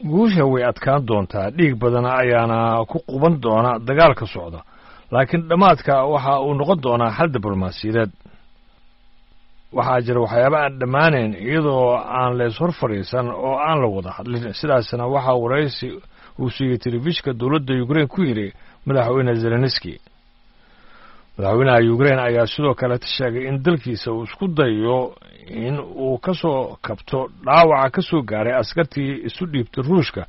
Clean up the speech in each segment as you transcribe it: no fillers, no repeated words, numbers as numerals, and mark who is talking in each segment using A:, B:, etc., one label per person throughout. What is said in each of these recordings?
A: Guusha way adkaan doontaa, dhiig badan ayaana ku quban doona dagaalka socda, laakiin dhammaadka waxa uu noqon doonaa xal diblomaasiyadeed. Waxaa jira waxyaaba aan dhammaanayn iyadoo aan lees hor fadhiisan oo aan la wada hadlin. Sidaasna waxaa waraysi uu siiyey telefishka dowladda Ukrain ku yidhi madaxweyne Zelenski. Madaxweynaha Ukrain ayaa sidoo kaleta sheegay in dalkiisa uu isku dayo in uu ka soo kabto dhaawaca ka soo gaaray askartii isu dhiibtay Ruushka,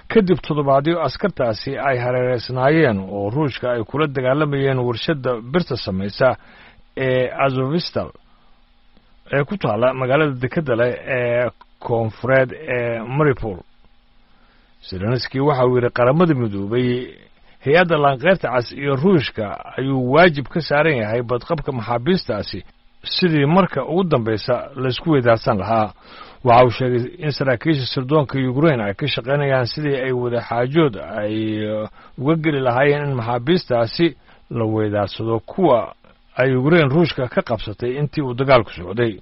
A: kadib toddobaadyo askartaasi ay hareereysnaayeen oo Ruushka ay kula dagaalamayeen warshadda birta samaysa ee Azovistal ee ku taalla magaalada dekedda leh ee koonfureed ee Maripol. Zelenski waxa uu yidhi Qaramada Midoobay, hay-adda Laanqeyrta Cas iyo Ruushka ayuu waajib ka saaran yahay badqabka maxaabiistaasi, sidii marka ugu dambaysa laysku weydaarsan lahaa. Waxa uu sheegay in saraakiisha sirdoonka Ukrain ay ka shaqaynayaan sidii ay wadaxaajood ay uga geli lahaayeen in maxaabiistaasi la weydaarsado kuwa ay Ukrain Ruushka ka qabsatay intii uu dagaalku socday.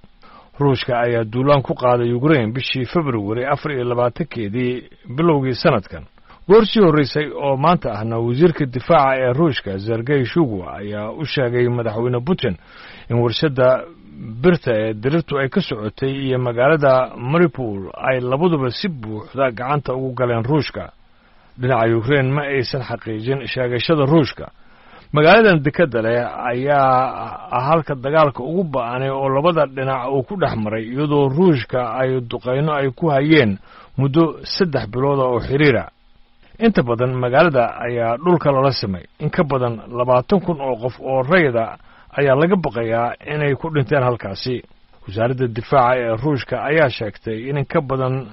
A: Ruushka ayaa duulaan ku qaaday Ukrain bishii Februari 24-keedii bilowgii sanadkan. Goor sii horreysay oo maanta ahna, wasiirka difaaca ee Ruushka Sergey Shugu ayaa u sheegay madaxweyne Putin in warshadda birta ee dirirtu ay ka socotay iyo magaalada Maripol ay labaduba si buuxda gacanta ugu galeen Ruushka. Dhinaca Ukrain ma aysan xaqiijin sheegashada Ruushka. Magaaladan dekedda leh ayaa halka dagaalka ugu ba'anay oo labada dhinac uu ku dhex maray, iyadoo Ruushka ay duqayno ay ku hayeen muddo 3 bilooda oo xiriira. Inta badan magaalada ayaa dhulka lala simay. In ka badan 20,000 oo qof oo rayida ayaa laga baqayaa inay ku dhinteen halkaasi. Wasaaradda difaaca ee Ruushka ayaa sheegtay in ka badan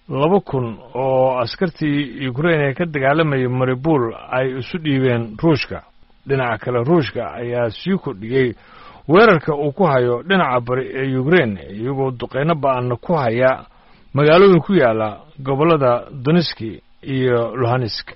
A: 2,000 oo askartii Ukrain ee ka dagaalamayay Maribul ay isu dhiibeen Ruushka. Dhinaca kale, Ruushka ayaa sii kordhiyey weerarka uu ku hayo dhinaca bari ee Ukrain, iyagoo duqeyno ba'anna ku haya magaalooyin ku yaala gobollada Doniski iyo Luhansk.